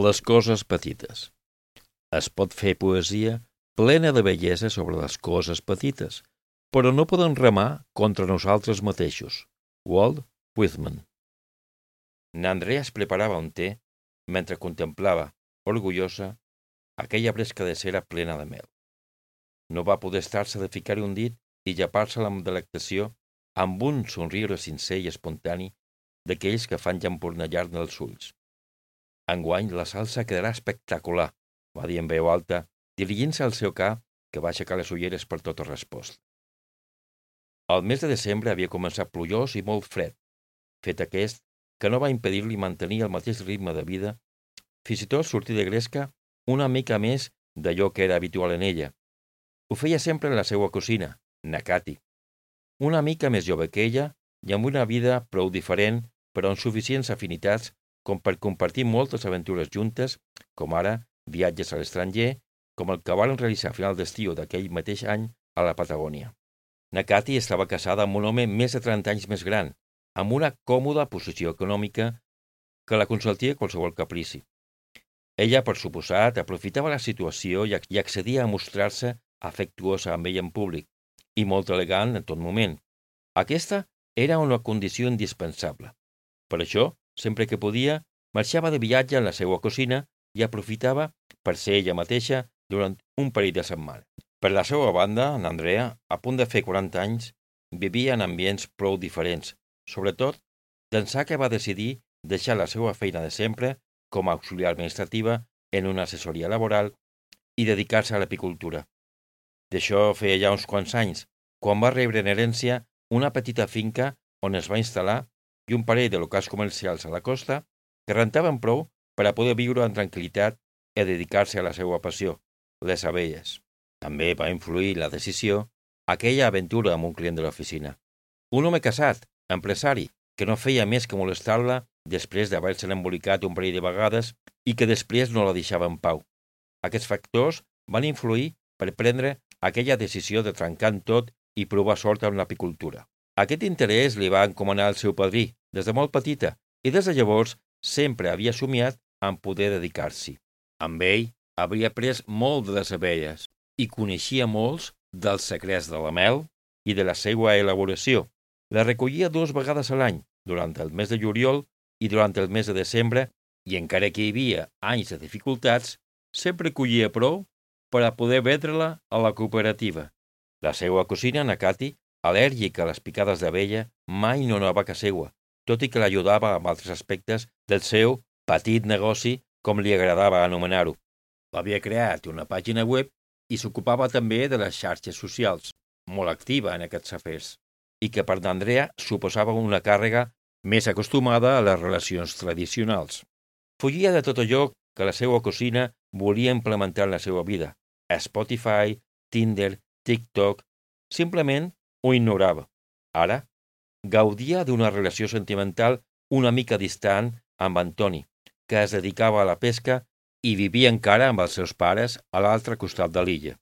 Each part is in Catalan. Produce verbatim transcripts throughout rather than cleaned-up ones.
Les coses petites. Es pot fer poesia plena de bellesa sobre les coses petites, però no poden remar contra nosaltres mateixos. Walt Whitman. N'Andrea es preparava un té mentre contemplava, orgullosa, aquella bresca de cera plena de mel. No va poder estar-se de ficar-hi un dit i llepar-se amb delectació amb un somriure sincer i espontani d'aquells que fan llampurnellar-ne els ulls. Enguany la salsa quedarà espectacular, va dir en veu alta, dirigint-se al seu ca, que va aixecar les ulleres per tota resposta. El mes de desembre havia començat plujós i molt fred, fet aquest que no va impedir-li mantenir el mateix ritme de vida, fins i tot sortir de gresca una mica més d'allò que era habitual en ella. Ho feia sempre en la seva cosina, Nakati, una mica més jove que ella i amb una vida prou diferent però amb suficients afinitats com per compartir moltes aventures juntes, com ara viatges a l'estranger, com el que van realitzar a final d'estiu d'aquell mateix any a la Patagònia. Nakati estava casada amb un home més de trenta anys més gran, amb una còmoda posició econòmica que la consentia qualsevol caprici. Ella, per suposat, aprofitava la situació i accedia a mostrar-se afectuosa amb ell en públic i molt elegant en tot moment. Aquesta era una condició indispensable. Per això, sempre que podia, marxava de viatge en la seva cosina i aprofitava per ser ella mateixa durant un parell de setmanes. Per la seva banda, n'Andrea, a punt de fer quaranta anys, vivia en ambients prou diferents, sobretot d'ençà que va decidir deixar la seva feina de sempre com a auxiliar administrativa en una assessoria laboral i dedicar-se a l'apicultura. D'això feia ja uns quants anys, quan va rebre en herència una petita finca on es va instal·lar i un parell de locals comercials a la costa que rentaven prou per a poder viure en tranquil·litat i dedicar-se a la seva passió, les abelles. També va influir la decisió aquella aventura amb un client de l'oficina. Un home casat, empresari, que no feia més que molestar-la després d'haver-se embolicat un parell de vegades i que després no la deixava en pau. Aquests factors van influir per prendre aquella decisió de trencar en tot i provar sort amb l'apicultura. Aquest interès li va encomanar el seu padrí des de molt petita i des de llavors sempre havia somiat en poder dedicar-s'hi. Amb ell havia après molt de les abelles i coneixia molts dels secrets de la mel i de la seva elaboració. La recollia dues vegades a l'any, durant el mes de juliol i durant el mes de desembre, i encara que hi havia anys de dificultats, sempre collia prou per a poder vendre-la a la cooperativa. La seva cosina, Nakati, al·lèrgica a les picades d'abella, mai no anava a casa seua, tot i que l'ajudava amb altres aspectes del seu petit negoci, com li agradava anomenar-ho. Havia creat una pàgina web i s'ocupava també de les xarxes socials, molt activa en aquests afers, i que per n'Andrea suposava una càrrega més acostumada a les relacions tradicionals. Fugia de tot allò que la seva cosina volia implementar en la seva vida. Spotify, Tinder, TikTok, simplement ho ignorava. Ara, gaudia d'una relació sentimental una mica distant amb Antoni, que es dedicava a la pesca i vivia encara amb els seus pares a l'altre costat de l'illa.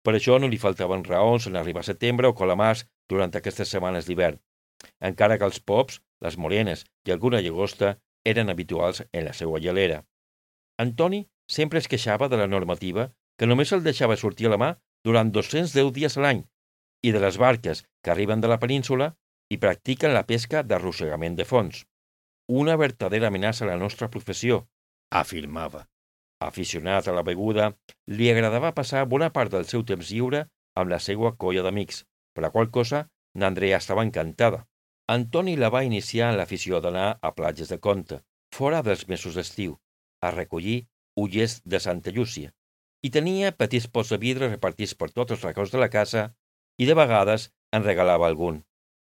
Per això no li faltaven raons en arribar a setembre o calamars durant aquestes setmanes d'hivern, encara que els pops, les morenes i alguna llagosta eren habituals en la seva gelera. Antoni sempre es queixava de la normativa que només el deixava sortir a la mà durant dos-cents deu dies a l'any i de les barques que arriben de la península i practiquen la pesca d'arrossegament de fons. Una vertadera amenaça a la nostra professió, afirmava. Aficionat a la beguda, li agradava passar bona part del seu temps lliure amb la seva colla d'amics, per la qual cosa n'Andrea estava encantada. Antoni la va iniciar en l'afició d'anar a platges de Conta, fora dels mesos d'estiu, a recollir ullers de Santa Llúcia, i tenia petits pots de vidre repartits per tots els racons de la casa i de vegades en regalava algun.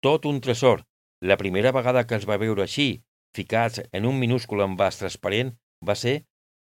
Tot un tresor. La primera vegada que els va veure així, ficats en un minúscul envàs transparent, va ser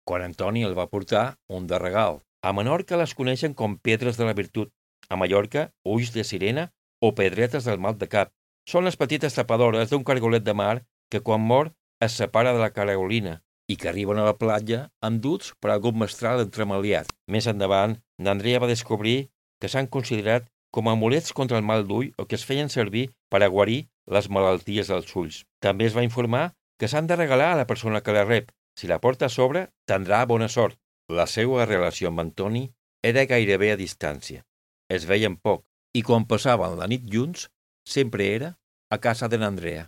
quan Antoni el va portar un de regal. A Menorca les coneixen com pedres de la virtut, a Mallorca ulls de sirena o pedretes del mal de cap. Són les petites tapadores d'un cargolet de mar que quan mor es separa de la caragolina i que arriben a la platja enduts per algun mestral entremaliat. Més endavant, n'Andrea va descobrir que s'han considerat com a amulets contra el mal d'ull o que es feien servir per a guarir les malalties dels ulls. També es va informar que s'han de regalar a la persona que la rep, Si la porta s'obre, tindrà bona sort. La seva relació amb Antoni era gairebé a distància. Es veien poc, i quan passaven la nit junts, sempre era a casa de n'Andrea.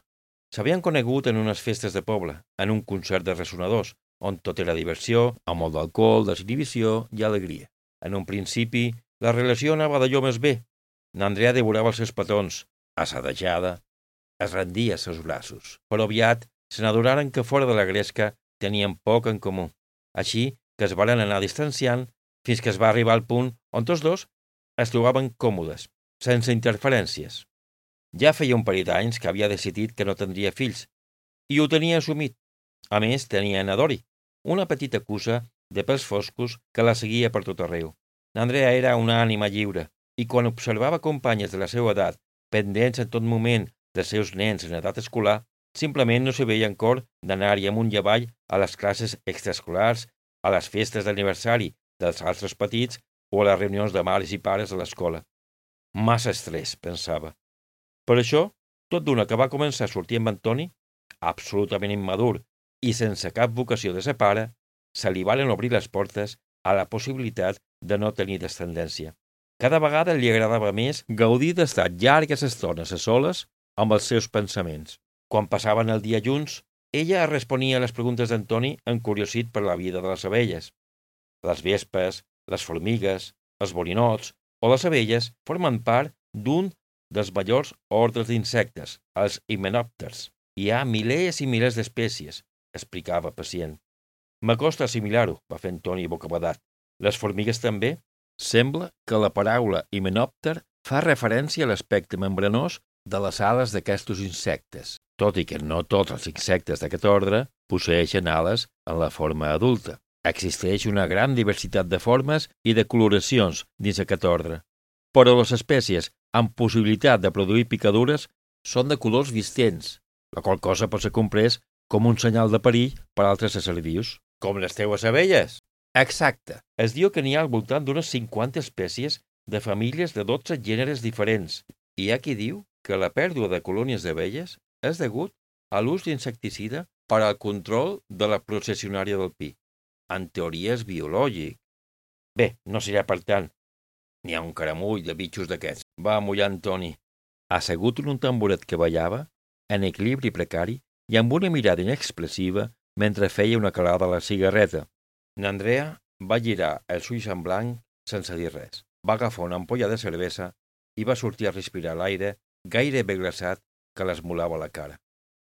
S'havien conegut en unes festes de poble, en un concert de ressonadors, on tot era diversió, amb molt d'alcohol, desinhibició i alegria. En un principi, la relació anava d'allò més bé. N'Andrea devorava els seus petons, assadejada, es rendia als seus braços. Però aviat se n'adonaren que fora de la gresca tenien poc en comú. Així que es varen anar distanciant fins que es va arribar al punt on tots dos es trobaven còmodes, sense interferències. Ja feia un parell d'anys que havia decidit que no tindria fills, i ho tenia assumit. A més, tenia Nadori, una petita cussa de pèls foscos que la seguia per tot arreu. N'Andrea era una ànima lliure, i quan observava companyes de la seva edat, pendents en tot moment dels seus nens en edat escolar, simplement no se veia en cor d'anar-hi amunt i avall a les classes extraescolars, a les festes d'aniversari dels altres petits o a les reunions de mares i pares a l'escola. Massa estrès, pensava. Per això, tot d'una que va començar a sortir amb Antoni, absolutament immadur i sense cap vocació de ser pare, se li varen obrir les portes a la possibilitat de no tenir descendència. Cada vegada li agradava més gaudir d'estar llargues estones a soles amb els seus pensaments. Quan passaven el dia junts, ella responia a les preguntes d'Antoni encuriosit per la vida de les abelles. Les vespes, les formigues, els borinots o les abelles formen part d'un dels majors ordres d'insectes, els himenòpters. Hi ha milers i milers d'espècies, explicava pacient. M'acosta assimilar-ho, va fer Antoni bocabadat. Les formigues també? Sembla que la paraula himenòpter fa referència a l'aspecte membranós de les ales d'aquests insectes, tot i que no tots els insectes d'aquest ordre posseeixen ales en la forma adulta. Existeix una gran diversitat de formes i de coloracions dins aquest ordre, però les espècies amb possibilitat de produir picadures són de colors vistents, la qual cosa pot ser comprès com un senyal de perill per a altres éssers vius. Com les teues abelles? Exacte. Es diu que n'hi ha al voltant d'unes cinquanta espècies de famílies de dotze gèneres diferents. Hi ha qui diu que la pèrdua de colònies d'abelles és degut a l'ús d'insecticida per al control de la processionària del pi. En teoria és biològic. Bé, no serà per tant. N'hi ha un caramull de bitxos d'aquests. Va mullar Antoni, assegut en un tamboret que ballava, en equilibri precari i amb una mirada inexpressiva mentre feia una calada a la cigarreta. N'Andrea va girar els ulls en blanc sense dir res. Va agafar una ampolla de cervesa i va sortir a respirar l'aire gairebé glaçat que l'esmolava la cara.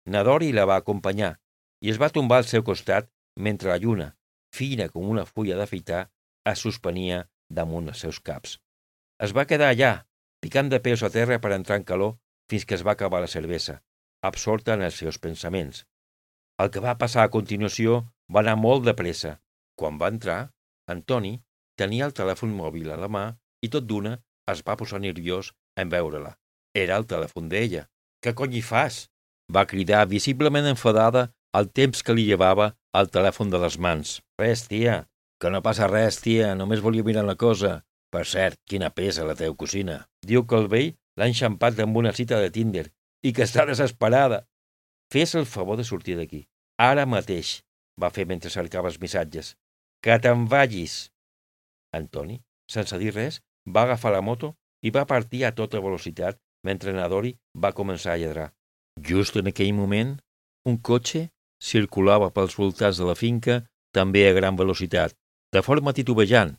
Nadori la va acompanyar i es va tombar al seu costat mentre la lluna, fina com una fulla d'afeitar, es suspenia damunt els seus caps. Es va quedar allà, picant de peus a terra per entrar en calor fins que es va acabar la cervesa, absorta en els seus pensaments. El que va passar a continuació va anar molt de pressa. Quan va entrar, Antoni tenia el telèfon mòbil a la mà i tot d'una es va posar nerviós en veure-la. Era el telèfon d'ella. «Què cony hi fas?» va cridar visiblement enfadada al temps que li llevava el telèfon de les mans. «Res, tia, que no passa res, tia, només volia mirar una cosa. Per cert, quina pesa la teva cosina. Diu que el vell l'ha enxampat amb una cita de Tinder i que està desesperada. Fes el favor de sortir d'aquí. Ara mateix», va fer mentre cercava els missatges. «Que te'n vagis!» Antoni, sense dir res, va agafar la moto i va partir a tota velocitat mentre Nadori va començar a lladrar. Just en aquell moment, un cotxe circulava pels voltants de la finca també a gran velocitat, de forma titubejant.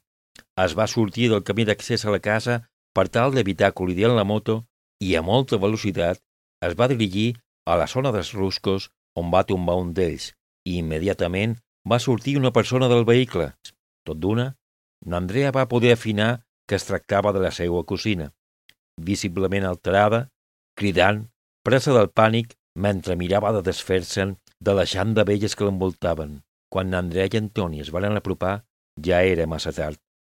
Es va sortir del camí d'accés a la casa per tal d'evitar col·lidir amb la moto i a molta velocitat es va dirigir a la zona dels ruscos on va tombar un d'ells i immediatament va sortir una persona del vehicle. Tot d'una, n'Andrea va poder afinar que es tractava de la seva cosina, visiblement alterada, cridant, presa del pànic, mentre mirava de desfer-se'n de la xant d'abelles que l'envoltaven. Quan n'Andrea i Antoni es van apropar, ja era massa tard.